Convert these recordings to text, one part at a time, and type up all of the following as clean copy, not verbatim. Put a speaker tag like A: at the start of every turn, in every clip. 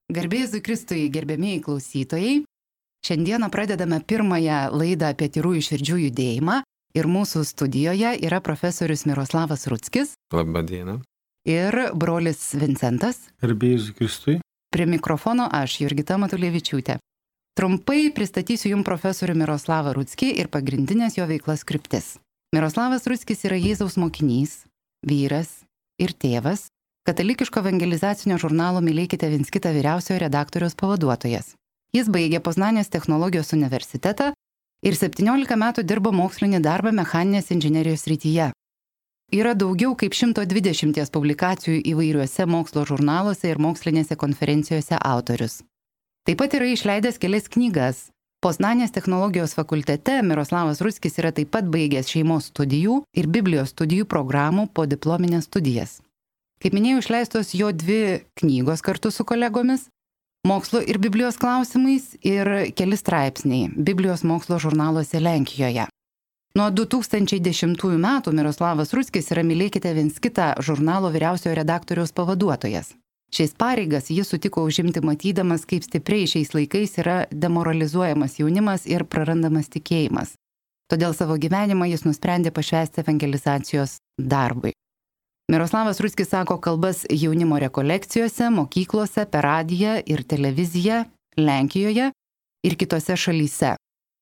A: Garbė Jėzui Kristui, gerbėmieji klausytojai. Šiandieną pradedame pirmąją laidą apie tyrųjų širdžių judėjimą ir mūsų studijoje yra profesorius Miroslavas Ruckis.
B: Labą dieną.
A: Ir brolis Vincentas.
C: Garbė Jėzui Kristui.
A: Prie mikrofono aš, Jurgita Matulevičiūtė. Trumpai pristatysiu jums profesorių Miroslavą Ruckį ir pagrindinės jo veiklas kryptis. Miroslavas Ruckis yra Jėzaus mokinys, vyras ir tėvas, katalikiško evangelizacinio žurnalo Mylėkite viens kitą vyriausiojo redaktoriaus pavaduotojas. Jis baigė Poznanės technologijos universitetą ir 17 metų dirbo mokslinį darbą mechaninės inžinerijos srityje. Yra daugiau kaip 120 publikacijų įvairiuose mokslo žurnaluose ir mokslinėse konferencijose autorius. Taip pat yra išleidęs kelias knygas. Poznanės technologijos fakultete Miroslavas Ruckis yra taip pat baigęs šeimos studijų ir Biblijos studijų programų po diplominės studijas. Kaip minėjau, išleistos jo 2 knygos kartu su kolegomis – mokslo ir Biblijos klausimais ir keli straipsniai Biblijos mokslo žurnaluose Lenkijoje. Nuo 2010 metų Miroslavas Ruckis yra Mylėkite viens kitą žurnalo vyriausiojo redaktoriaus pavaduotojas. Šiais pareigas jis sutiko užimti matydamas, kaip stipriai šiais laikais yra demoralizuojamas jaunimas ir prarandamas tikėjimas. Todėl savo gyvenimą jis nusprendė pašvęsti evangelizacijos darbui. Miroslavas Ruckis sako kalbas jaunimo rekolekcijose, mokyklose, per radiją ir televiziją Lenkijoje ir kitose šalyse.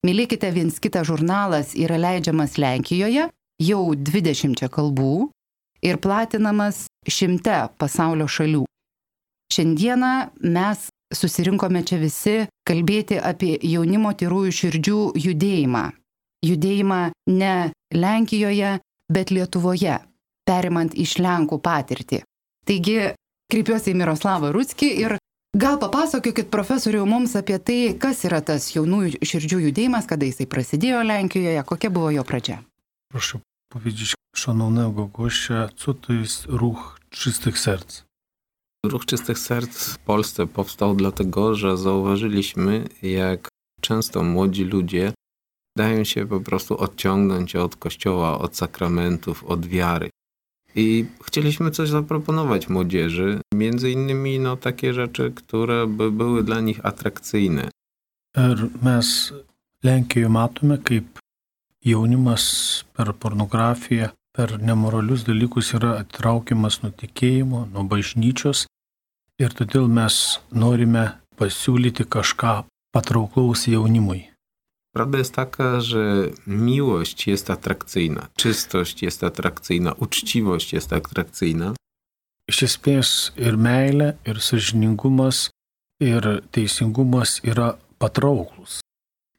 A: Mylėkite viens kitą žurnalas yra leidžiamas Lenkijoje jau 20 kalbų ir platinamas 100 pasaulio šalių. Šiandieną mes susirinkome čia visi kalbėti apie jaunimo tyrųjų širdžių judėjimą. Judėjimą ne Lenkijoje, bet Lietuvoje, perimant iš Lenkų patirtį. Taigi, kreipiuosi į Miroslavą Ruckį ir gal papasakokit, profesoriau, mums apie tai, kas yra tas jaunųjų širdžių judėjimas, kada jisai prasidėjo Lenkijoje, kokia było jo pradžia.
C: Proszę powiedzieć szanownego gościa, co to jest ruch czystych serc?
B: Ruch Czystych Serc w Polsce powstał dlatego, że zauważyliśmy, jak często młodzi ludzie dają się po prostu odciągnąć od Kościoła, od sakramentów, od wiary. I chcieliśmy coś zaproponować młodzieży, między innymi takie rzeczy, które by były dla nich atrakcyjne.
C: Ir mes Lenkijoje matome, kaip jaunimas per pornografiją, per nemoralius dalykus yra atitraukiamas nuo tikėjimo, nuo bažnyčios ir todėl mes norime pasiūlyti kažką patrauklaus jaunimui.
B: Prawda jest taka, że miłość jest atrakcyjna, czystość jest atrakcyjna, uczciwość jest atrakcyjna.
C: Iš esmės ir meilė, ir sąžiningumas, ir teisingumas yra patrauklus.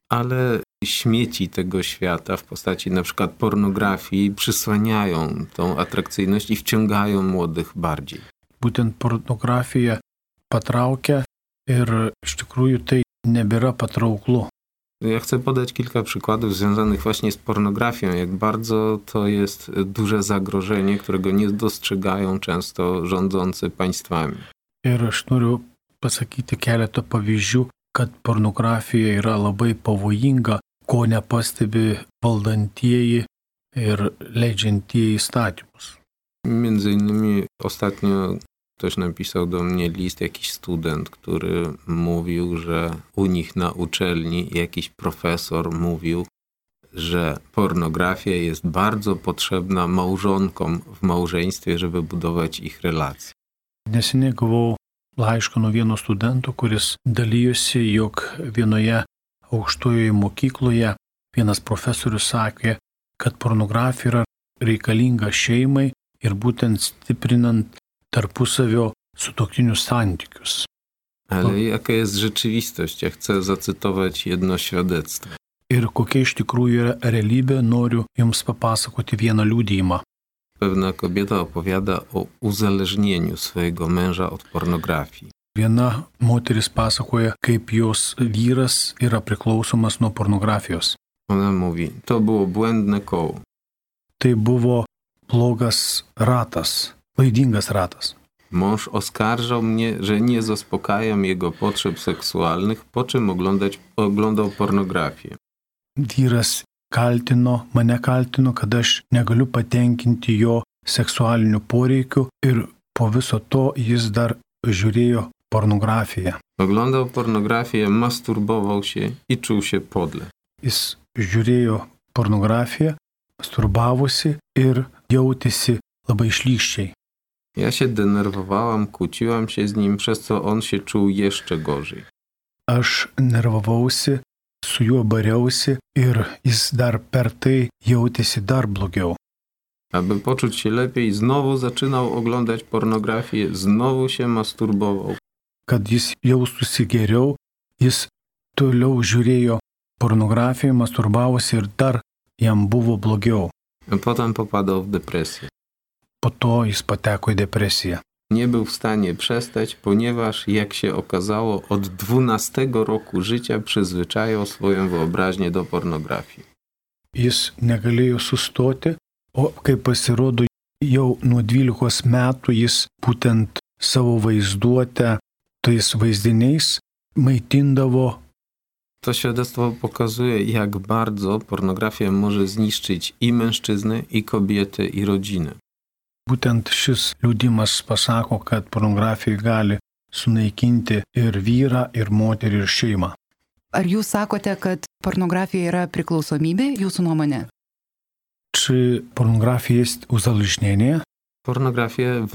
B: Ale śmieci tego świata w postaci na przykład pornografii przysłaniają tą atrakcyjność i wciągają młodych bardziej.
C: Būtent pornografija patraukia ir iš tikrųjų tai nebėra patrauklu.
B: Ja chcę podać kilka przykładów związanych właśnie z pornografią, jak bardzo to jest duże zagrożenie, którego nie dostrzegają często rządzący państwami.
C: Ir aš noriu pasakyti keletą pavyzdžių, kad pornografija yra labai pavojinga, ko nepastebi valdantieji ir leidžiantieji įstatymus.
B: Między innymi ostatnio ktoś napisał do mnie list, jakiś student, który mówił, że u nich na uczelni jakiś profesor mówił, że pornografia jest bardzo potrzebna małżonkom w małżeństwie, żeby budować ich relacje.
C: Neseniai gavau laišką nuo vieno studento, kuris dalyjosi, jog vienoje aukštojoje mokykloje vienas profesorius sakė, kad pornografija yra reikalinga šeimai ir būtent stiprinant tarpusavio sutuoktinių santykius.
B: Ale jaka jest rzeczywistość? Ja chcę zacytować jedno świadectwo.
C: Ir kokia iš tikrųjų yra realybė, noriu jums papasakoti vieną liudijimą.
B: Pewna kobieta opowiada o uzależnieniu swojego męża od pornografii.
C: Viena moteris pasakoja, kaip jos vyras yra priklausomas nuo pornografijos.
B: Ona mówi, to było błędne koło.
C: Tai buvo blogas ratas, klaidingas ratas.
B: Mąż oskarżał mnie, że nie zaspokajam jego potrzeb seksualnych, po czym oglądał pornografię.
C: Vyras mane kaltino, kad aš negaliu patenkinti jo seksualinių poreikių ir po viso to jis dar žiūrėjo pornografiją.
B: Oglądał pornografię, masturbował się i czuł się podle.
C: Jis žiūrėjo pornografiją, masturbavosi ir jautėsi labai šlykščiai.
B: Ja się denerwowałam, kłóciłam się z nim, przez co on się czuł jeszcze gorzej.
C: Aš nervavausi, su juo bariausi ir jis dar per tai jautėsi dar blogiau.
B: Aby poczuć się lepiej, znowu zaczynał oglądać pornografię, znowu się masturbował.
C: Kad jis jaustųsi geriau, jis toliau žiūrėjo pornografiją, masturbavosi ir dar jam buvo blogiau.
B: A potem popadał w depresję.
C: Po to jis pateko į depresiją.
B: Nie był w stanie przestać, ponieważ, jak się okazało, od 12 roku życia przyzwyczajał swoją wyobraźnię do pornografii.
C: Jis negalėjo sustoti, o kaip pasirodo, jau nuo 12 metų jis būtent savo vaizduotę tais vaizdiniais maitindavo.
B: To świadectwo pokazuje, jak bardzo pornografia może zniszczyć i mężczyznę, i kobietę, i rodzinę.
C: Būtent šis liudimas pasako, kad pornografija gali sunaikinti ir vyrą, ir moterį, ir šeimą.
A: Ar jūs sakote, kad pornografija yra priklausomybė, jūsų nuomonė?
C: Czy pornografia jest uzależnienie?
B: Pornografia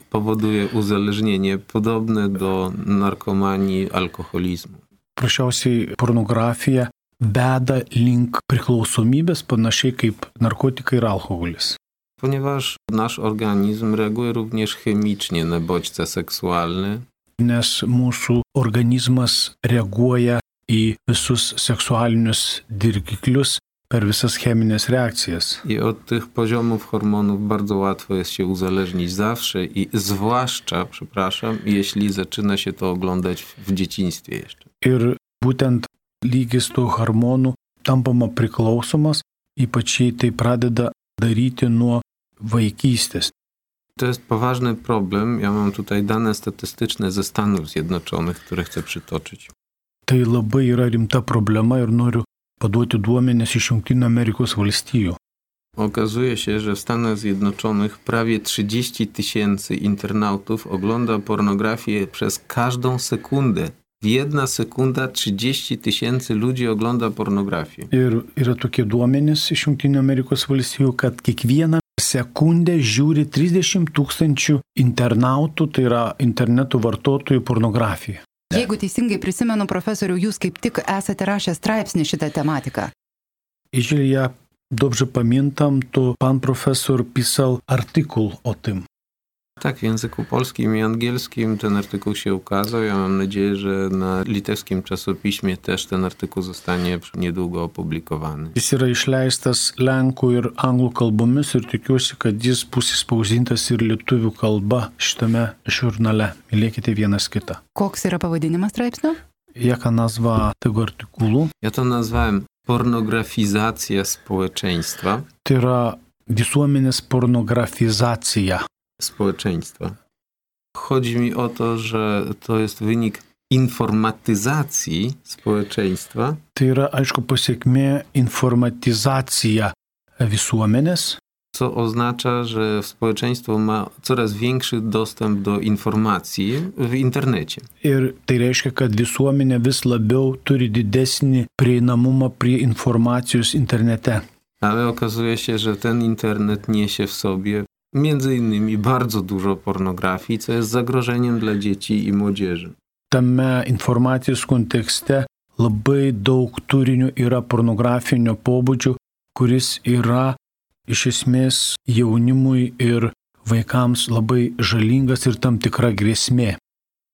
B: powoduje uzależnienie podobne do narkomanii, alkoholizmu.
C: Prašiausiai pornografija veda link priklausomybės panašiai kaip narkotikai ir alkoholis.
B: Ponieważ nasz organizm reaguje również chemicznie na bodźce seksualne.
C: Nes mūsų organizmas reaguoja į visus seksualinius dirgiklius per visas cheminės reakcijas.
B: I od tych poziomów hormonów bardzo łatwo jest się uzależnić zawsze i zwłaszcza, jeśli zaczyna się to oglądać w dzieciństwie jeszcze.
C: Ir būtent lygis tų hormonų tampama priklausomas, ypač jei tai pradeda daryti nuo vaikystės.
B: To jest poważny problem. Ja mam tutaj dane statystyczne ze Stanów Zjednoczonych, które chcę przytoczyć.
C: Tai labai yra rimta problema ir noriu paduoti duomenis iš Jungtinių Amerikos valstijų.
B: Okazuje się, że w Stanach Zjednoczonych prawie 30 000 internautów ogląda pornografię przez każdą sekundę. W 1 sekunda 30 000 ludzi ogląda pornografię.
C: Ir yra tokie duomenys iš Jungtinių Amerikos valstijų, kad kiekvieną sekundę žiūri 30 000 internautų, tai yra interneto vartotojų pornografiją.
A: Jeigu teisingai prisimenu, profesoriau, jūs kaip tik esate rašę straipsnį šitą tematiką.
C: Jeżeli ja dobrze pamiętam, to pan profesor pisał artykuł o tym.
B: Tak, w języku polskim i angielskim ten artykuł się ukazał. Ja mam nadzieję, że na litewskim czasopiśmie też ten artykuł zostanie niedługo opublikowany.
C: Jis yra išleistas lenkų ir anglų kalbomis ir tikiuosi, kad jis bus įspausdintas ir lietuvių kalba šitame žurnale. Mylėkite vienas kitą.
A: Koks yra pavadinimas straipsnio?
C: Jaka nazwa tego artykułu?
B: Ja to nazwałem pornografizacja społeczeństwa.
C: Tai yra visuomenės pornografizacija.
B: Społeczeństwa. Chodzi mi o to, że to jest wynik informatyzacji społeczeństwa.
C: Tai yra, aišku, pasiekmė informatizacija visuomenės.
B: Co oznacza, że społeczeństwo ma coraz większy dostęp do informacji w internecie.
C: Ir tai reiškia, kad visuomenė vis labiau turi didesnį prieinamumą prie informacijos internete.
B: Ale okazuje się, że ten internet niesie w sobie między innymi bardzo dużo pornografii, co jest zagrożeniem dla dzieci i młodzieży.
C: Tame informacijos kontekste labai daug turinio yra pornografinio pobūdžio, kuris yra iš esmės jaunimui ir vaikams labai žalingas ir tam tikra grėsmė.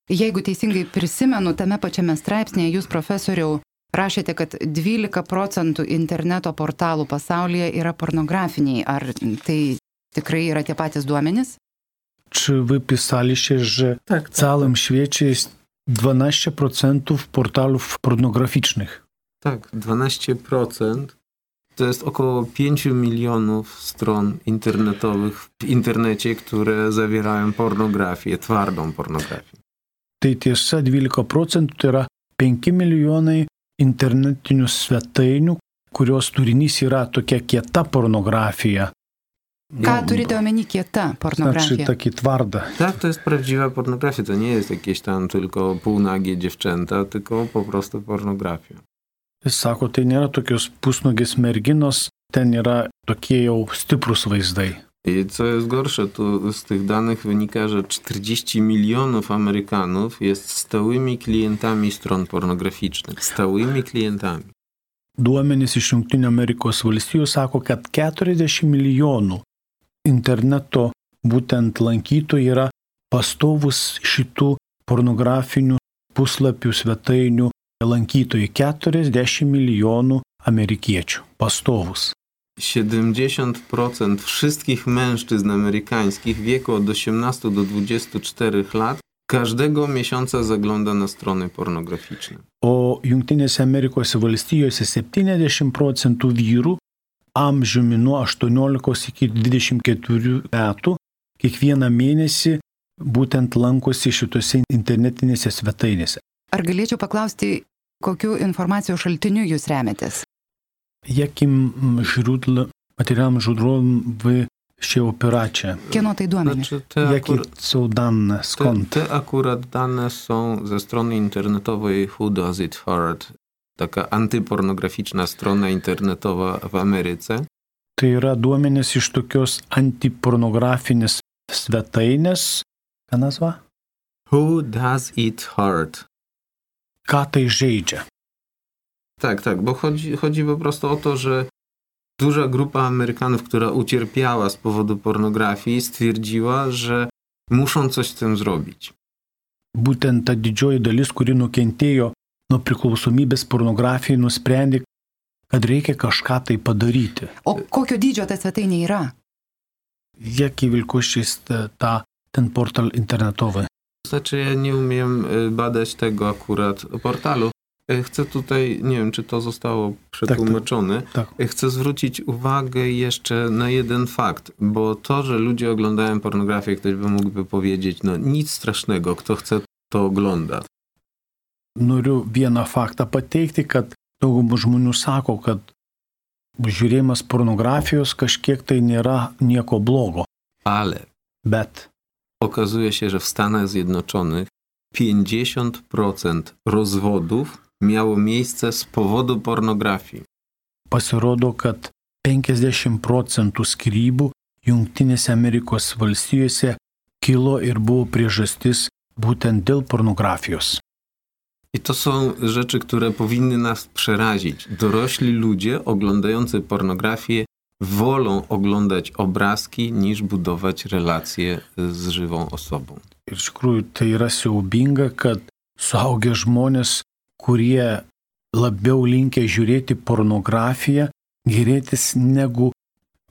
A: Jeigu teisingai prisimenu, tame pačiame straipsnėje jūs, profesoriau, rašėte, kad 12% interneto portalų pasaulyje yra pornografiniai. Ar tai tikrai yra tie patys duomenys?
C: Czy wy pisaliście, że w całym świecie jest 12% portalów pornograficznych?
B: Tak, 12%. To jest około 5 milionów stron internetowych w internecie, które zawierają pornografię, twardą pornografię.
C: Tai tiesa, 12% tai yra 5 milijonai internetinių svetainių, kurios turinys yra tokia kieta pornografija.
A: Ką turite omeny kieta pornografija?
C: Znaczy taki twarda.
B: Tak, to jest prawdziwa pornografia. To nie jest jakieś tam tylko półnagie dziewczęta, tylko po prostu pornografia.
C: Jis sako, tai nėra tokios pusnugės merginos, ten yra tokie jau stiprus vaizdai.
B: I co jest gorsze, to z tych danych wynika, że 40 milionów Amerykanów jest stałymi klientami stron pornograficznych. Stałymi klientami.
C: Duomenys iš Jungtinių Amerikos valstijų sako, kad 40 milijonų interneto būtent lankytojų yra pastovus šitų pornografinių puslapių svetainių lankytojai. 40 milijonų amerikiečių pastovus.
B: 70% wszystkich mężczyzn amerykańskich w wieku od 18 do 24 lat każdego miesiąca zagląda na strony pornograficzne.
C: O Jungtinėse Amerikos valstijose 70% vyrų amžiumi nuo 18 iki 24 metų kiekvieną mėnesį būtent lankosi šitose internetinėse svetainėse.
A: Ar galėčiau paklausti, kokiu informacijos šaltiniu jūs remiatės?
C: Jakim źródłem, materiałem źródłem wy się opieracie?
A: Kieno tai duomenys?
B: Znaczy,
C: Jakie są dane? Skąd?
B: Te akurat dane są ze strony internetowej Who Does It Hurt, taka antypornograficzna strona internetowa w Ameryce.
C: Tai yra duomenys iš tokios antipornografinės svetainės. Ką nazva?
B: Who Does It Hurt?
C: Ką tai žaidžia?
B: Tak, bo chodzi po prostu o to, że duża grupa Amerykanów, która ucierpiała z powodu pornografii, stwierdziła, że muszą coś z tym zrobić.
C: Būtent ta didžioji dalis, kuri nukentėjo nuo priklausomybės pornografijai, nusprendė, kad reikia kažką tai padaryti.
A: O kokio dydžio ta svetainė yra?
C: Jaki wielkości jest ten portal internetowy?
B: Znaczy, ja nie umiem badać tego akurat portalu. Chcę tutaj, nie wiem, czy to zostało przetłumaczone,
C: Tak.
B: Chcę zwrócić uwagę jeszcze na jeden fakt, bo to, że ludzie oglądają pornografię, ktoś by mógłby powiedzieć, no nic strasznego, kto chce, to ogląda.
C: Noriu vieną faktą pateikti, kad daugumą žmonių sako, kad žiūrėjimas pornografijos kažkiek tai nėra nieko blogo.
B: Ale
C: Bet
B: okazuje się, że w Stanach Zjednoczonych 50% rozwodów miało miejsce z powodu pornografii.
C: pasirodo, kad 50% skyrybų Jungtinėse Amerikos valstijose kilo ir buvo priežastis būtent dėl pornografijos.
B: I to są rzeczy, które powinny nas przerazić. Dorośli ludzie oglądający pornografię wolą oglądać obrazki niż budować relacje z żywą osobą.
C: Ir iš tikrųjų tai yra siaubinga, kad suaugę žmonės, kurie labiau linkę žiūrėti pornografiją, gėrėtis negu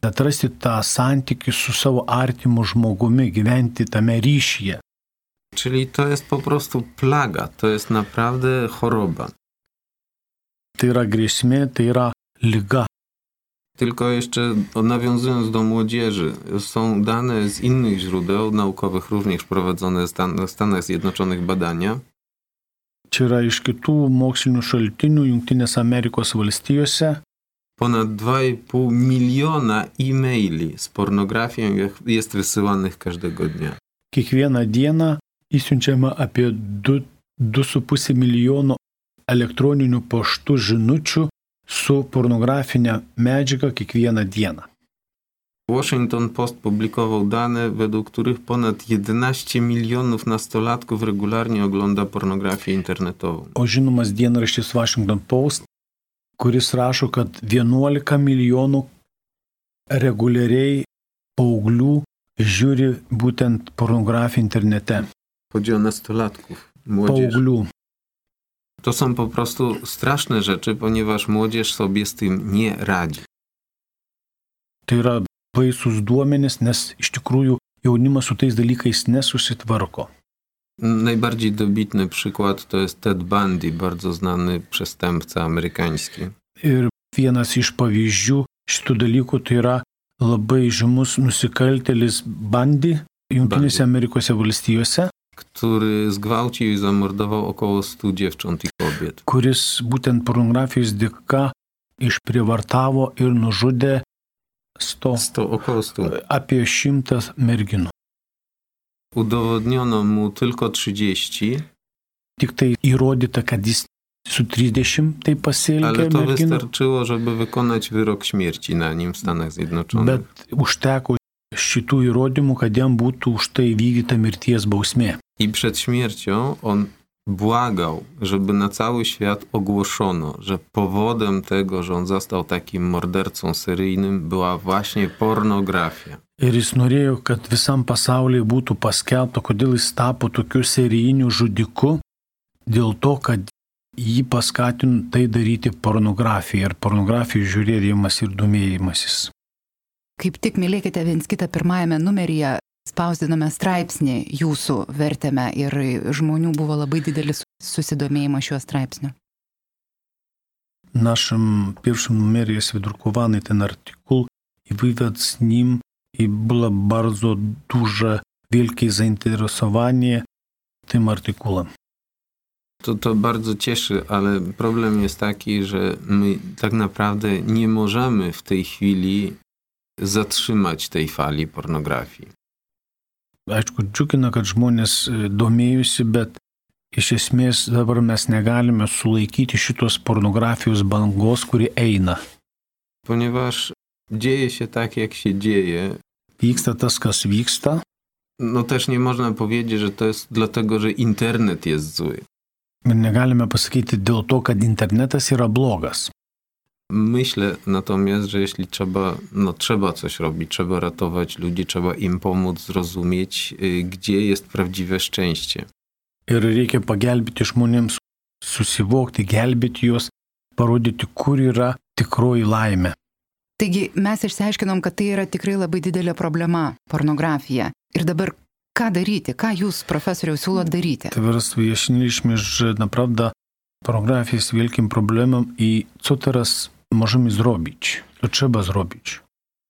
C: atrasti tą santykį su savo artimu žmogumi, gyventi tame ryšyje.
B: Czyli to jest po prostu plaga, to jest naprawdę choroba.
C: Tai yra grėsmė, tai yra liga.
B: Tylko jeszcze nawiązując do młodzieży, są dane z innych źródeł naukowych, również prowadzone w Stanach Zjednoczonych badania.
C: Čia yra iš kitų mokslinių šaltinių Jungtinėse Amerikos valstijose.
B: Ponad 2,5 miliona e-maili z pornografią jest wysyłanych każdego dnia.
C: Kiekvieną dieną įsiunčiama apie 2,5 milijono elektroninių paštų žinučių su pornografinė medžiaga kiekvieną dieną.
B: Washington Post publikował dane, według których ponad 11 milionów nastolatków regularnie ogląda pornografię internetową.
C: O žinomas dienraštis Washington Post, kuris rašo, kad 11 milijonų reguliariai paauglių žiūri būtent pornografiją internete.
B: Chodzi o nastolatków, młodzież.
C: Paauglių.
B: To są po prostu straszne rzeczy, ponieważ młodzież sobie z tym nie radzi.
C: Tai yra baisus duomenys, nes iš tikrųjų jaunimas su tais dalykais nesusitvarko.
B: Najbardziej dobitny przykład to jest Ted Bundy, bardzo znany przestępca amerykański.
C: Ir vienas iš pavyzdžių šitų dalykų tai yra labai žymus nusikaltėlis Bundy Jungtinėse Amerikos valstijose,
B: który zgwałcił i zamordował około 100 dziewcząt i kobiet.
C: Kuris būtent pornografijos dėka išprievartavo ir nužudė
B: Około 100.
C: Apie 100 merginų.
B: Udowodniono mu tylko 30.
C: Tik tai įrodyta, kad jis su 30 tai pasielgė
B: Ale to
C: merginų.
B: wystarczyło, żeby wykonać wyrok śmierci na nim w Stanach Zjednoczonych.
C: Bet užteko šitų įrodymų, kad jam būtų už tai vykdyta mirties bausmė.
B: I przed śmiercią on błagał, żeby na cały świat ogłoszono, że powodem tego, że on został takim mordercą seryjnym, była właśnie pornografia.
C: Ir jis norėjo, kad visam pasaulyje būtų paskelbta, kodėl jis tapo tokiu serijiniu žudiku, dėl to, kad jį paskatino tai daryti pornografija ir pornografijos žiūrėjimas ir domėjimasis.
A: Kaip tik mylėkite viens kitą pirmajame numeryje, spausdiname straipsnį, jūsų vertėme ir žmonių buvo labai didelis susidomėjimas šiuo straipsniu.
C: В нашем первом номере есть выдрукованный ten артикул, и вывод с ним, и было bardzo duże, wielkie zainteresowanie tym artykułem.
B: To bardzo cieszy, ale problem jest taki, że my tak naprawdę nie możemy w tej chwili zatrzymać tej fali pornografii.
C: Aišku, džiugina, kad žmonės domėjusi, bet iš esmės dabar mes negalime sulaikyti šitos pornografijos bangos, kuri eina.
B: Ponieważ dzieje się tak, jak się dzieje.
C: Vyksta tas, kas vyksta.
B: No też nie można powiedzieć, że to jest dlatego, że internet jest zły.
C: Ir negalime pasakyti dėl to, kad internetas yra blogas.
B: Myślę natomiast, że jeśli trzeba coś robić, trzeba ratować ludzi, trzeba im pomóc zrozumieć, gdzie jest prawdziwe szczęście.
C: Ir reikia pagelbėti žmonėms susivokti, gelbėti juos, parodyti, kur yra tikroji laimė.
A: Taigi mes išsiaiškinom, kad tai yra tikrai labai didelė problema – pornografija. Ir dabar ką daryti? Ką jūs, profesoriau, siūlot daryti?
C: Teraz wyjaśniliśmy, że naprawdę pornografia jest wielkim problemem i co teraz możemy zrobić? To trzeba zrobić.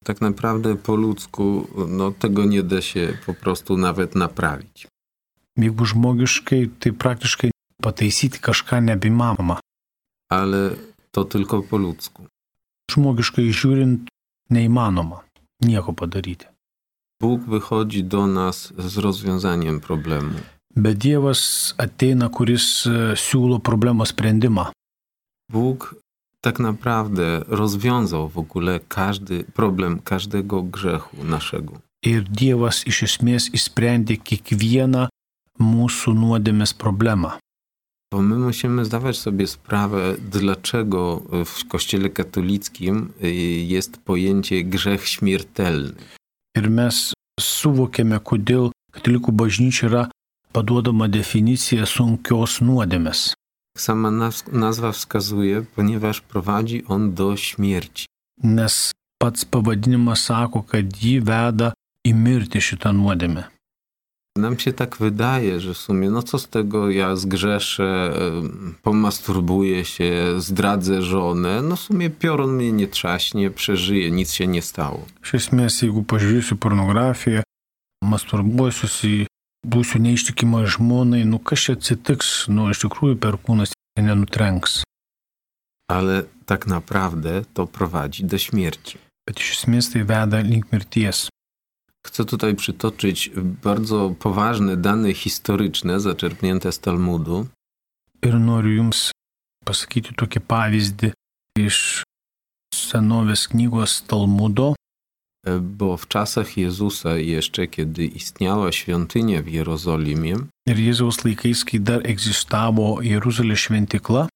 B: Tak naprawdę po ludzku tego nie da się po prostu nawet naprawić.
C: Jeigu žmogiškai, tai praktiškai pataisyti kažką nebeįmanoma.
B: Ale to tylko po ludzku.
C: Žmogiškai žiūrint, neįmanoma nieko padaryti.
B: Bóg wychodzi do nas z rozwiązaniem problemu.
C: Bet Dievas ateina, kuris siūlo problemos sprendimą.
B: Bóg tak naprawdę rozwiązał w ogóle każdy problem każdego grzechu naszego.
C: Ir Dievas iš esmės išsprendė kiekvieną mūsų nuodėmės problemą.
B: Bo my musimy zdawać sobie sprawę, dlaczego w Kościele katolickim jest pojęcie grzech śmiertelny.
C: Ir mes suvokiame, kodėl katalikų bažnyčia yra paduodama definicija sunkios nuodėmės.
B: Sama nazwa wskazuje, ponieważ prowadzi on do śmierci.
C: Nes pats pavadinimas sako, kad jį veda į mirtį šitą nuodėmę.
B: Nam się tak wydaje, że w sumie, co z tego, ja zgrzeszę, pomasturbuję się, zdradzę żonę, w sumie piorun mnie nie trzaśnie, przeżyję, nic się nie stało.
C: Iš esmės, jeigu pažiūrėsiu pornografiją, masturbuosiuosi, būsiu neištikima žmonai, kas čia atsitiks, iš tikrųjų perkūnas nenutrenks.
B: Ale tak naprawdę to prowadzi do śmierci.
C: Bet iš esmės tai veda link mirties.
B: Chcę tutaj przytoczyć bardzo poważne dane historyczne zaczerpnięte z Talmudu.
C: Ir noriu jums pasakyti tokį pavyzdį iš senovės knygos Talmudo.
B: Bo w czasach Jezusa jeszcze, kiedy istniała świątynia w Jerozolimie,
C: ir Jėzaus laikais, kai dar egzistavo Jeruzalės šventykla,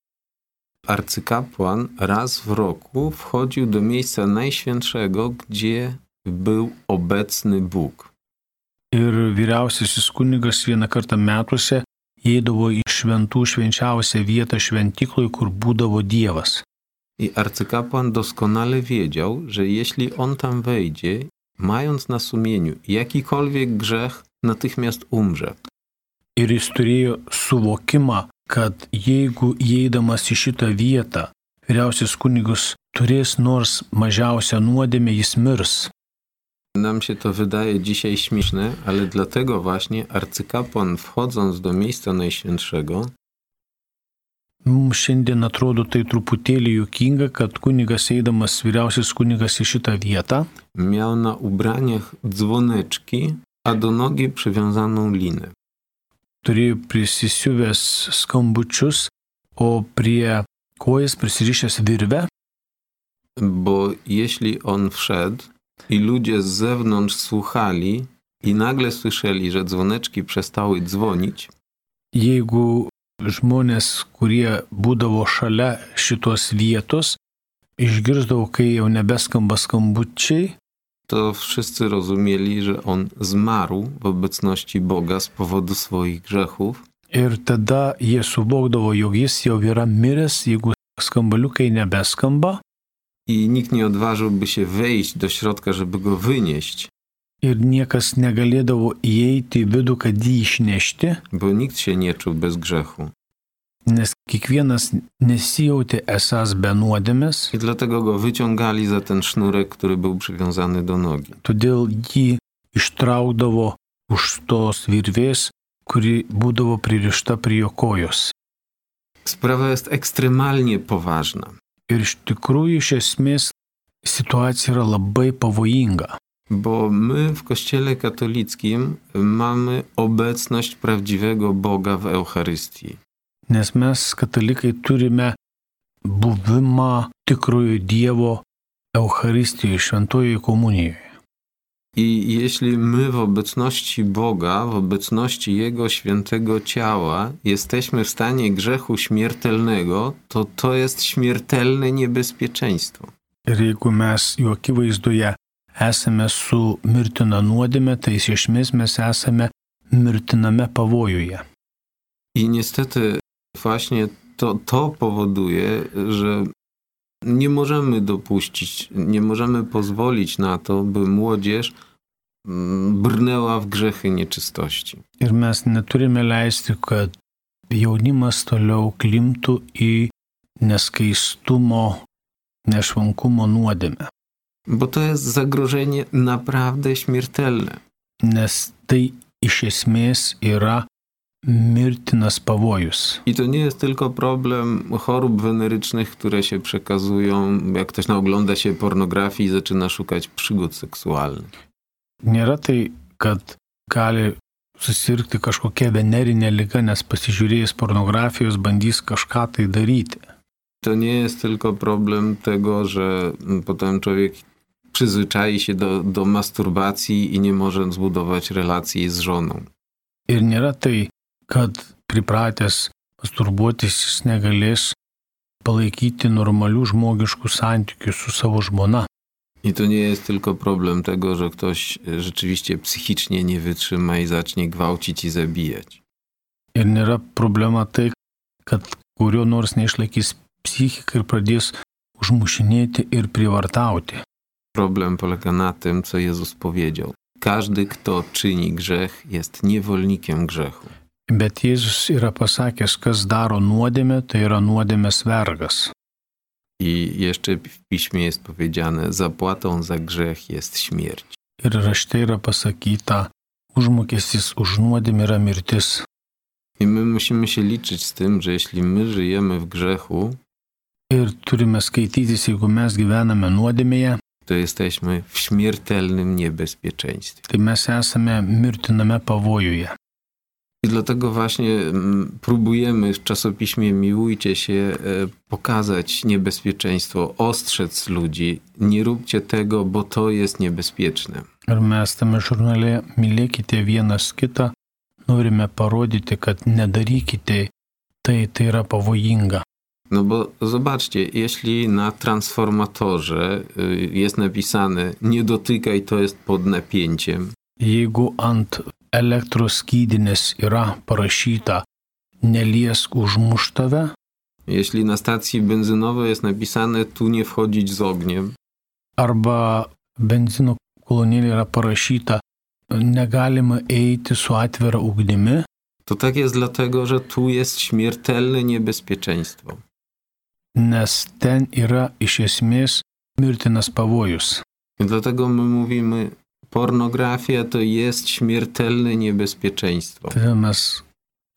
B: arcykapłan raz w roku wchodził do miejsca najświętszego, gdzie był obecny Bóg.
C: Ir vyriausiasis kunigas vieną kartą metuose įeidavo į šventų švenčiausią vietą šventykloje, kur būdavo Dievas.
B: I arcykapłan doskonale wiedział, że jeśli on tam wejdzie, mając na sumieniu jakikolwiek grzech, natychmiast umrze.
C: Ir jis turėjo suvokimą, kad jeigu įeidamas į šitą vietą, vyriausias kunigas turės nors mažiausią nuodėmę, jis mirs.
B: Nam się to wydaje dzisiaj śmieszne, ale dlatego właśnie arcykapłan, wchodząc do miejsca najświętszego,
C: Mums šiandien atrodo tai truputėlį juokinga, kad kunigas eidamas, vyriausias kunigas į šitą vietą
B: miał na ubraniach dzwoneczki, a do nogi przywiązaną linę.
C: turėjo prisisiuvęs skambučius, o prie kojas prisirišęs virvę,
B: Bo jeśli on wszedł i ludzie z zewnątrz słuchali i nagle słyszeli, że dzwoneczki przestały dzwonić,
C: jeigu žmonės, kurie būdavo šalia šitos vietos, išgirsdavo, kai jau nebeskamba skambučiai,
B: to wszyscy rozumieli, że on zmarł w obecności Boga z powodu swoich grzechów.
C: ir tada jie suvokdavo, jog jis jau yra miręs, jeigu skambaliukai nebeskamba,
B: I nikt nie odważyłby się wejść do środka, żeby go wynieść,
C: ir niekas negalėdavo įeiti į vidų, kad jį išnešti,
B: bo nikt się nie czuł bez grzechu.
C: nes kiekvienas nesijautė esas be nuodėmės,
B: I dlatego go wyciągali za ten sznurek, który był przywiązany do nogi.
C: todėl jį ištraukdavo už tos virvės, kuri būdavo pririšta prie jo kojos.
B: Sprawa jest ekstremalnie poważna,
C: Ir iš tikrųjų, iš esmės, situacija yra labai pavojinga,
B: bo my w Kościele katolickim mamy obecność prawdziwego Boga w Eucharystii.
C: nes mes, katalikai, turime buvimą tikrojo Dievo Eucharistijoje, šventojoje komunijoje.
B: I jeśli my w obecności Boga, w obecności Jego świętego ciała jesteśmy w stanie grzechu śmiertelnego, to to jest śmiertelne niebezpieczeństwo.
C: Ir jeigu mes jų akivaizdoje esame su mirtina nuodėme, tai iš esmės mes esame mirtiname pavojuje.
B: I niestety właśnie to powoduje, że nie możemy dopuścić, nie możemy pozwolić na to, by młodzież brnęła w grzechy nieczystości.
C: Ir mes neturime leisti, kad jaunimas toliau klimtų į neskaistumo, nešvankumo nuodėmę.
B: Bo to jest zagrożenie naprawdę śmiertelne.
C: Nes tai iš esmės yra mirtinas pavojus.
B: I to nie jest tylko problem chorób wenerycznych, które się przekazują, jak ktoś naogląda się pornografii i zaczyna szukać przygód seksualnych.
C: Nėra tai, kad gali susirgti kažkokia venerinė liga, nes pasižiūrėjęs pornografijos bandys kažką tai daryti.
B: To nie jest tylko problem tego, że potem człowiek przyzwyczai się do masturbacji i nie może zbudować relacji z żoną.
C: Ir nėra tai, kad pripratęs masturbuotis jis negalės palaikyti normalių žmogiškų santykių su savo žmona.
B: I to nie jest tylko problem tego, że ktoś rzeczywiście psychicznie nie wytrzyma i zacznie gwałcić i zabijać.
C: Ir nėra problema tai, kad kurio nors neišlaikys psichiką ir pradės užmušinėti ir prievartauti.
B: Problem polega na tym, co Jezus powiedział. Każdy, kto czyni grzech, jest niewolnikiem grzechu.
C: Bet Jėzus yra pasakęs, kas daro nuodėmę, tai yra nuodėmės vergas.
B: I jeszcze w Piśmie jest powiedziane, zapłatą za grzech jest śmierć.
C: Ir rašte yra pasakyta, užmokestis už nuodėmę yra mirtis.
B: I my musimy się liczyć z tym, że jeśli my żyjemy w grzechu,
C: Ir turime skaitytis, jeigu mes gyvename nuodėmėje,
B: to jesteśmy w śmiertelnym niebezpieczeństwie.
C: tai mes esame mirtiname pavojuje.
B: I dlatego właśnie próbujemy w czasopiśmie Miłujcie się pokazać niebezpieczeństwo, ostrzec ludzi. Nie róbcie tego, bo to jest niebezpieczne.
C: Ir mes tame žurnale mylėkite vienas kitą, norime parodyti, kad nedarykite, tai yra pavojinga.
B: No bo zobaczcie, jeśli na transformatorze jest napisane nie dotykaj, to jest pod napięciem.
C: Jeigu ant elektros skydinės yra parašyta neliesk užmuš tave,
B: Jeśli na stacji benzynowej jest napisane tu nie wchodzić z ogniem,
C: arba benzino kolonėlė yra parašyta negalima eiti su atvira ugnimi,
B: to tak jest dlatego, że tu jest śmiertelne niebezpieczeństwo.
C: nes ten yra iš esmės mirtinas pavojus.
B: I dlatego my mówimy, pornografia to jest śmiertelne niebezpieczeństwo.
C: Todėl mes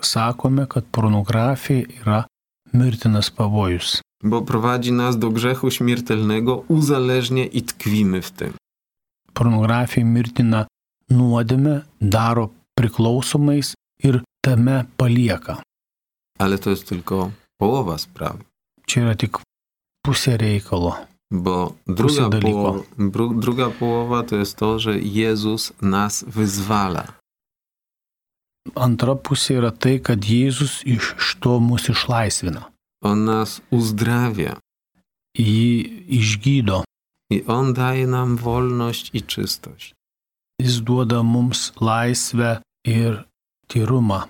C: sakome, kad pornografija yra mirtinas pavojus.
B: Bo prowadzi nas do grzechu śmiertelnego, uzależnia i tkwimy w tym.
C: Pornografija mirtina nuodėmę, daro priklausomais ir tame palieka.
B: Ale to jest tylko połowa sprawy.
C: Čia yra tik pusė reikalo.
B: Bo druga połowa to jest to, że Jezus nas wyzwala.
C: Antra pusė yra tai, kad Jėzus iš to mus išlaisvina.
B: On nas uzdrawia.
C: Jį išgydo.
B: I On daje nam wolność i czystość.
C: Jis duoda mums laisvę ir tyrumą.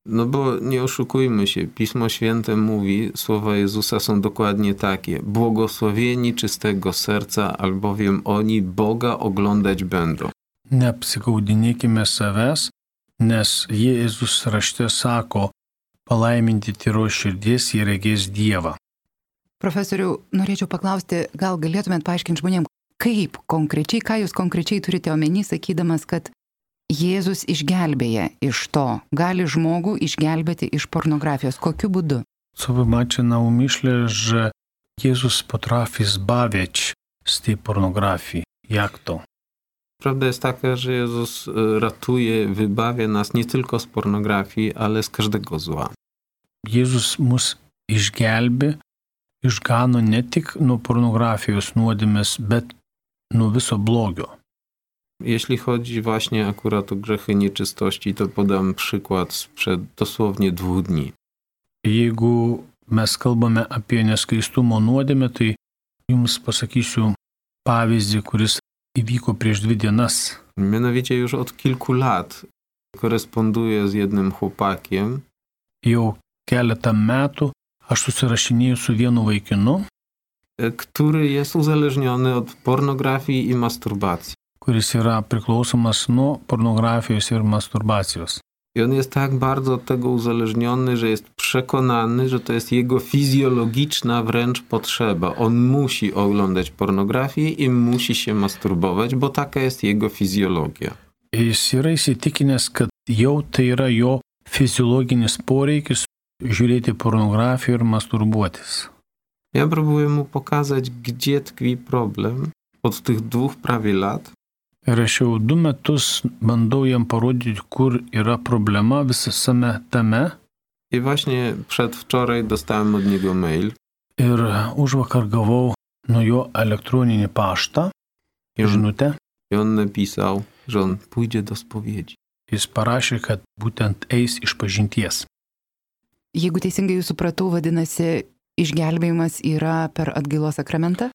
B: No bo nie oszukujmy się, Pismo Święte mówi, słowa Jezusa są dokładnie takie. Błogosławieni czystego serca, albowiem oni Boga oglądać będą.
C: Neapsigaudinėkime savęs, nes Jėzus rašte sako, palaiminti tyros širdies jie regės Dievą.
A: Profesoriau, norėčiau paklausti, gal galėtumėt paaiškinti žmonėms, kaip konkrečiai, ką jūs konkrečiai turite omeny, sakydamas, kad Jėzus išgelbėja iš to, gali žmogų išgelbėti iš pornografijos. Kokiu būdu?
C: Co by macie na umyśle, że Jezus potrafi zbawiać z tej pornografii? Jak to?
B: Prawda jest taka, że Jezus ratuje, wybawia nas nie tylko z pornografii, ale z każdego zła.
C: Jėzus mus išgelbė, išgano ne tik nuo pornografijos nuodėmės, bet nuo viso blogio.
B: Jeśli chodzi właśnie akurat o grzechy nieczystości, to podam przykład sprzed dosłownie 2 dni.
C: Jeigu mes kalbame apie neskaistumo nuodėmę, tai jums pasakysiu pavyzdį, kuris įvyko prieš 2 dienas.
B: Mianowicie już od kilku lat koresponduję z jednym chłopakiem.
C: Jau keletą metų aš susirašinėjau su vienu vaikinu,
B: który jest uzależniony od pornografii i masturbacji.
C: Kuris yra priklausomas nuo pornografijos ir masturbacijos.
B: I on jest tak bardzo od tego uzależniony, że jest przekonany, że to jest jego fizjologiczna wręcz potrzeba. On musi oglądać pornografię i musi się masturbować, bo taka jest jego fizjologia.
C: Jis yra įsitikinęs, kad jau tai yra jo fiziologinis poreikis žiūrėti pornografiją ir masturbuotis.
B: Ja próbuję mu pokazać, gdzie tkwi problem od tych 2 prawie lat.
C: Ir aš jau 2 metus bandau jam parodyti, kur yra problema visame tame.
B: I właśnie przedwczoraj dostałem od niego mail.
C: Ir užvakar gavau nuo jo elektroninį paštą, žinutę.
B: I on napisał, że on pójdzie do spowiedzi.
C: Jis parašė, kad būtent eis išpažinties.
A: Jeigu teisingai jūs supratau, vadinasi, išgelbėjimas yra per atgailos sakramentą?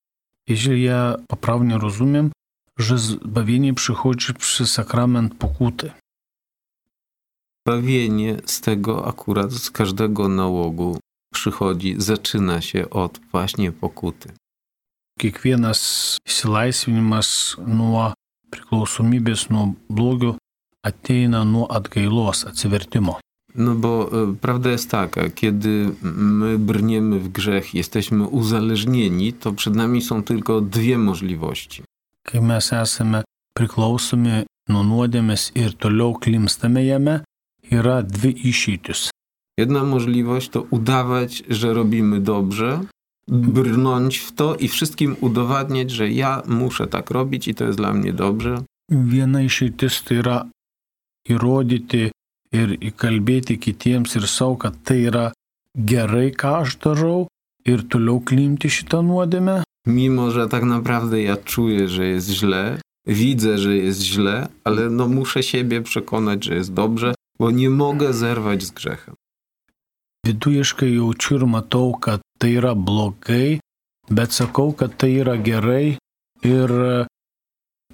C: Jeżeli ja poprawnie rozumiem, że zbawienie przychodzi przez sakrament pokuty.
B: Zbawienie z tego akurat, z każdego nałogu przychodzi, zaczyna się od właśnie pokuty.
C: Kiekvienas išsilaisvinimas nuo priklausomybės, nuo blogio ateina nuo atgailos, atsivertimo.
B: No bo prawda jest taka, kiedy my brniemy w grzech, jesteśmy uzależnieni, to przed nami są tylko 2 możliwości.
C: Kai mes esame priklausomi nuo nuodėmės ir toliau klimstame jame, yra 2 išeitis.
B: Jedna możliwość to udawać, że robimy dobrze, brnąć w to i wszystkim udowadniać, że ja muszę tak robić i to jest dla mnie dobrze.
C: Viena išeitis tai yra įrodyti ir įkalbėti kitiems ir savo, kad tai yra gerai, ką aš darau, ir toliau klimti šitą nuodėmę.
B: Mimo, że tak naprawdę ja czuję, że jest źle, widzę, że jest źle, ale no muszę siebie przekonać, że jest dobrze, bo nie mogę zerwać z grzechem.
C: Vidujiškai jaučiu ir matau, kad tai yra blogai, bet sakau, kad tai yra gerai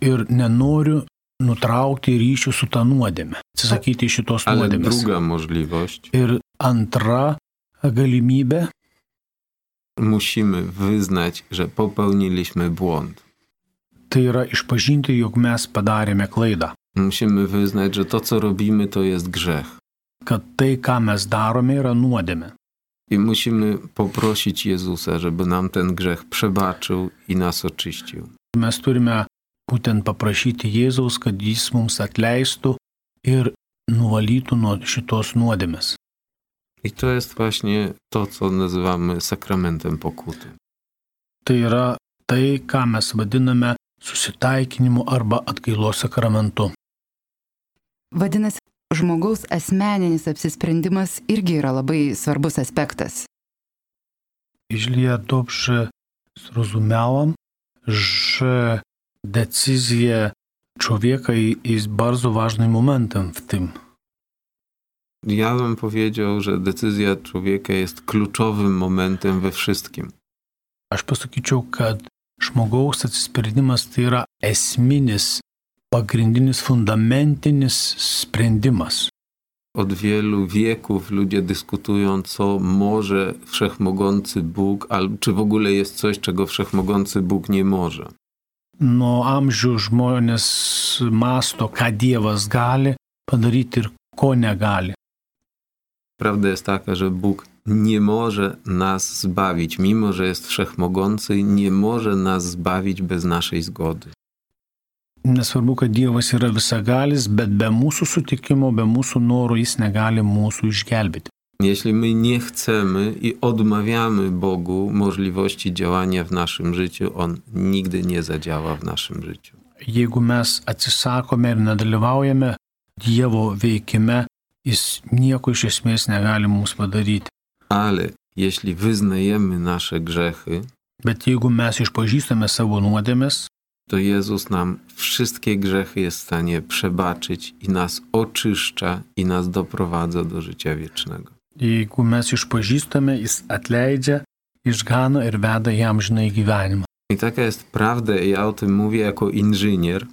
C: ir nenoriu nutraukti ryšių su tą nuodėmę, atsisakyti šitos
B: Ale
C: nuodėmės.
B: druga możliwość.
C: Ir antra galimybė.
B: Musimy wyznać, że popełniliśmy błąd.
C: Tai yra išpažinti, jog mes padarėme klaidą.
B: Musimy wyznać, że to, co robimy, to jest grzech.
C: Kad tai, ką mes darome, yra nuodėmė.
B: I musimy poprosić Jezusa, żeby nam ten grzech przebaczył i nas oczyścił.
C: Mes turime būtent paprašyti Jėzaus, kad jis mums atleistų ir nuvalytų nuo šitos nuodėmės.
B: I to jest właśnie to, co nazywamy sakramentem pokuty.
C: Tai yra tai, ką mes vadiname susitaikinimu arba atgailos sakramentu.
A: Vadinasi, žmogaus asmeninis apsisprendimas irgi yra labai svarbus aspektas.
C: Jeśli ja dobrze zrozumiałam, że decyzja człowieka jest bardzo ważnym momentem w tym.
B: Ja bym powiedział, że decyzja człowieka jest kluczowym momentem we wszystkim.
C: Aš pasakyčiau, kad žmogaus atsisprendimas tai yra esminis, pagrindinis, fundamentinis sprendimas.
B: Od wielu wieków ludzie dyskutują, co może wszechmogący Bóg, albo czy w ogóle jest coś, czego wszechmogący Bóg nie może.
C: Nuo amžių žmonės mąsto, ką Dievas gali padaryti ir ko negali.
B: Prawda jest taka, że Bóg nie może nas zbawić. Mimo że jest wszechmogący, nie może nas zbawić bez naszej zgody.
C: Nesvarbu, kad Dievas yra visagalis, bet be mūsų sutikimo, be mūsų norų jis negali mūsų išgelbėti.
B: Jeśli my nie chcemy i odmawiamy Bogu możliwości działania w naszym życiu, On nigdy nie zadziała w naszym życiu.
C: Jeigu mes atsisakome ir nedalyvaujame Dievo veikime, jis nieko iš esmės negali mums padaryti.
B: Ale jeśli wyznajemy nasze grzechy,
C: Bet jeigu mes išpažįstame savo nuodėmes,
B: to Jezus nam wszystkie grzechy jest w stanie przebaczyć i nas oczyszcza i nas doprowadza do życia wiecznego.
C: jeigu mes išpažįstame, jis atleidžia, išgano ir veda į amžinąjį gyvenimą.
B: I taka jest prawda, ja o tym mówię jako inżynier,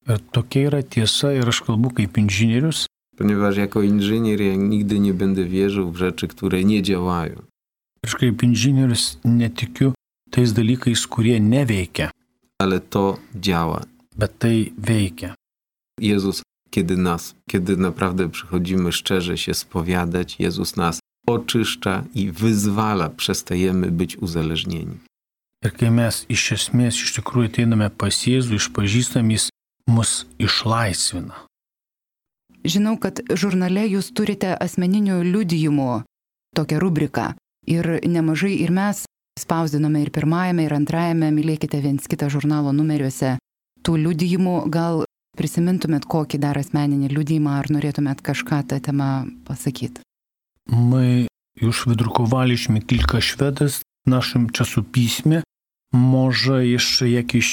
C: Ir tokia yra tiesa ir aš kalbu kaip inžinierius,
B: ponieważ jako inżynier ja nigdy nie będę wierzył w rzeczy, które nie działają.
C: aš kaip inžinierius netikiu tais dalykais, kurie neveikia,
B: Ale to działa.
C: bet tai veikia.
B: Jezus, kiedy naprawdę przychodzimy szczerze się spowiadać, Jezus nas oczyszcza i wyzwala, przestajemy być uzależnieni.
C: Ir kai mes iš esmės iš tikrųjų ateiname pas Jėzų, išpažįstam, jis mus išlaisvina.
A: Žinau, kad žurnale jūs turite asmeninių liudijimų tokią rubriką. Ir nemažai ir mes spausdinome ir pirmajame, ir antrajame Mylėkite viens kitą žurnalo numeriuose tų liudijimų. Gal prisimintumėt kokį dar asmeninį liudijimą, ar norėtumėt kažką tą temą pasakyti?
C: My już wydrukowaliśmy kilka świadectw w naszym czasopiśmie. Może jeszcze jakieś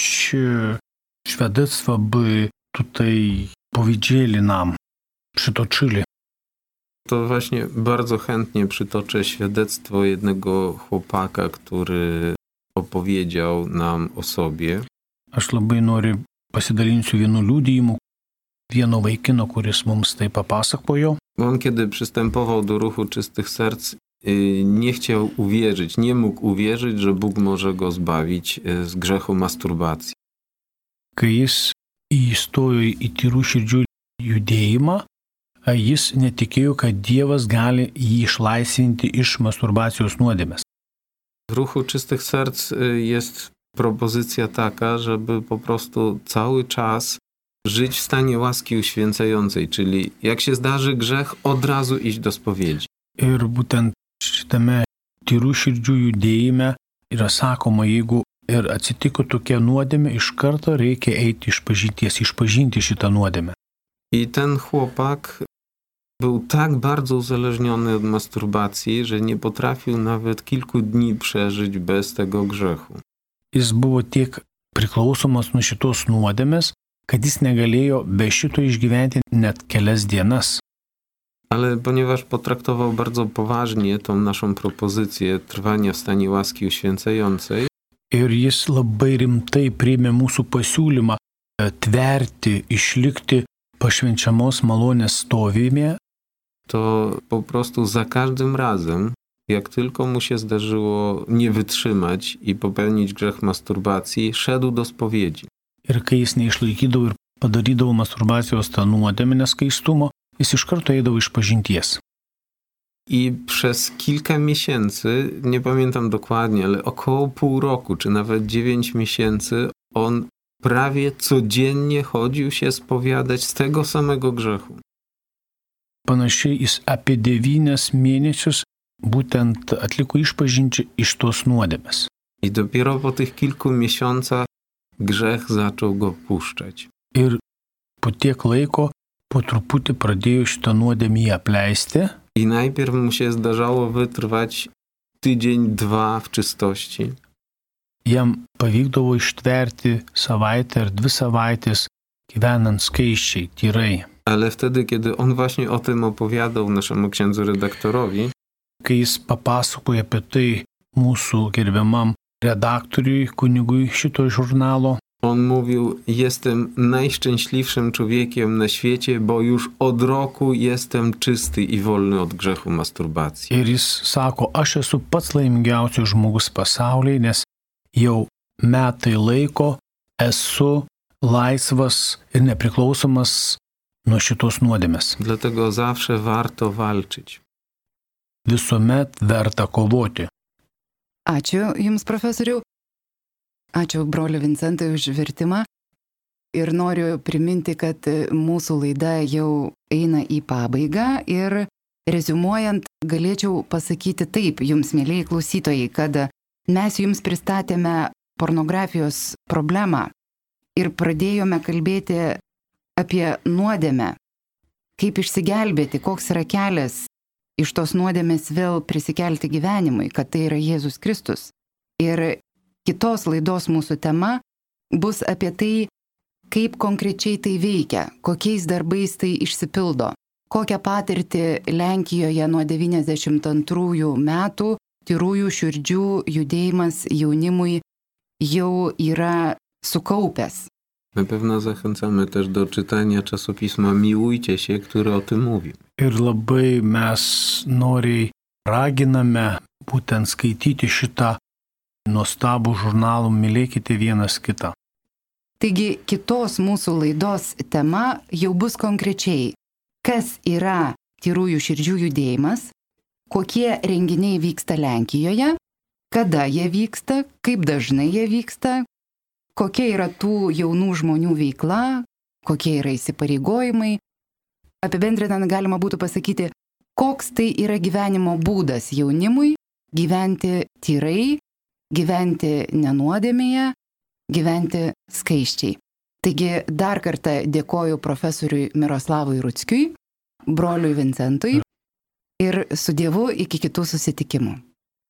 C: świadectwa by tutaj powiedzieli nam, przytoczyli.
B: To właśnie bardzo chętnie przytoczę świadectwo jednego chłopaka, który opowiedział nam o sobie.
C: Aš labai noriu pasidalinsiu vienu liudijimu, vieno vaikino, kuris mums tai papasakojo.
B: On kiedy przystępował do ruchu czystych serc, nie chciał uwierzyć, nie mógł uwierzyć, że Bóg może go zbawić z grzechu masturbacji.
C: Kai jis įstojo į tyrų širdžių judėjimą, jis netikėjo, kad Dievas gali jį išlaisvinti iš masturbacijos nuodėmės.
B: W ruchu czystych serc jest propozycja taka, żeby po prostu cały czas żyć w stanie łaski uświęcającej, czyli jak się zdarzy grzech, od razu iść do spowiedzi.
C: Ir būtent šitame tyrų širdžių judėjime yra sakoma, jeigu ir atsitiko tokia nuodėmė, iš karto reikia eiti išpažinties, išpažinti šitą nuodėmę.
B: I ten chłopak był tak bardzo uzależniony od masturbacji, że nie potrafił nawet kilku dni przeżyć bez tego grzechu.
C: Jis buvo tiek priklausomas nuo šitos nuodėmės, kad jis negalėjo be šito išgyventi net kelias dienas.
B: Ale ponieważ potraktował bardzo poważnie tą naszą propozycję trwania w stanie łaski uświęcającej,
C: Ir jis labai rimtai priėmė mūsų pasiūlymą tverti, išlikti pašvenčiamos malonės stovime,
B: to po prostu za każdym razem, jak tylko mu się zdarzyło nie wytrzymać i popełnić grzech masturbacji, szedł do spowiedzi.
C: ir kai jis neišlaikydavo ir padarydavo masturbacijos tą nuodėmę neskaistumo, jis iš karto eidavo išpažinties.
B: I przez kilka miesięcy, nie pamiętam dokładnie, ale około pół roku, czy nawet 9 miesięcy, on prawie codziennie chodził się spowiadać z tego samego grzechu.
C: panašiai jis apie 9 mėnesius būtent atliko išpažinčią iš tos nuodėmės.
B: I dopiero po tych kilku miesiącach grzech zaczął go puszczać.
C: Ir po tiek laiko po truputį pradėjo šitą nuodėmę apleisti.
B: I najpierw mu się zdarzało wytrwać tydzień, 2 w czystości.
C: Jam pavykdavo ištverti savaitę ar 2 savaitės gyvenant skaisčiai, tyrai.
B: Ale wtedy, kiedy on właśnie o tym opowiadał naszemu księdzu redaktorowi,
C: Kai jis papasakoja apie tai mūsų gerbiamam redaktoriui, kunigui šito žurnalo,
B: on mówił, jestem najszczęśliwszym człowiekiem na świecie, bo już od roku jestem czysty i wolny od grzechu masturbacji.
C: ir jis sako, aš esu pats laimingiausias žmogus pasaulyje, nes jau metai laiko esu laisvas ir nepriklausomas nuo šitos nuodėmės.
B: Dlatego zawsze warto walczyć.
C: Visuomet verta kovoti.
A: Ačiū Jums, profesoriau. Ačiū broliu Vincentai už vertimą. Ir noriu priminti, kad mūsų laida jau eina į pabaigą ir reziumuojant galėčiau pasakyti taip, Jums, mėlyjei klausytojai, kad mes Jums pristatėme pornografijos problemą ir pradėjome kalbėti apie nuodėmę, kaip išsigelbėti, koks yra kelias iš tos nuodėmės vėl prisikelti gyvenimui, kad tai yra Jėzus Kristus. Ir kitos laidos mūsų tema bus apie tai, kaip konkrečiai tai veikia, kokiais darbais tai išsipildo, kokią patirtį Lenkijoje nuo 92 metų tyrųjų širdžių judėjimas jaunimui jau yra sukaupęs.
B: Na pewno zachęcamy też do czytania czasopisma Miłujcie się, które o tym mówi.
C: Ir labai mes noriai raginame būtent skaityti šitą nuostabų žurnalą Mylėkite vienas kitą.
A: Taigi kitos mūsų laidos tema jau bus konkrečiai, kas yra tyrųjų širdžių judėjimas, kokie renginiai vyksta Lenkijoje, kada jie vyksta, kaip dažnai jie vyksta, kokia yra tų jaunų žmonių veikla, kokie yra įsipareigojimai. Apibendrinant galima būtų pasakyti, koks tai yra gyvenimo būdas jaunimui gyventi tyrai, gyventi nenuodėmėje, gyventi skaisčiai. Taigi dar kartą dėkoju profesoriui Miroslavui Ruckiui, broliui Vincentui ir su Dievu iki kitų susitikimų.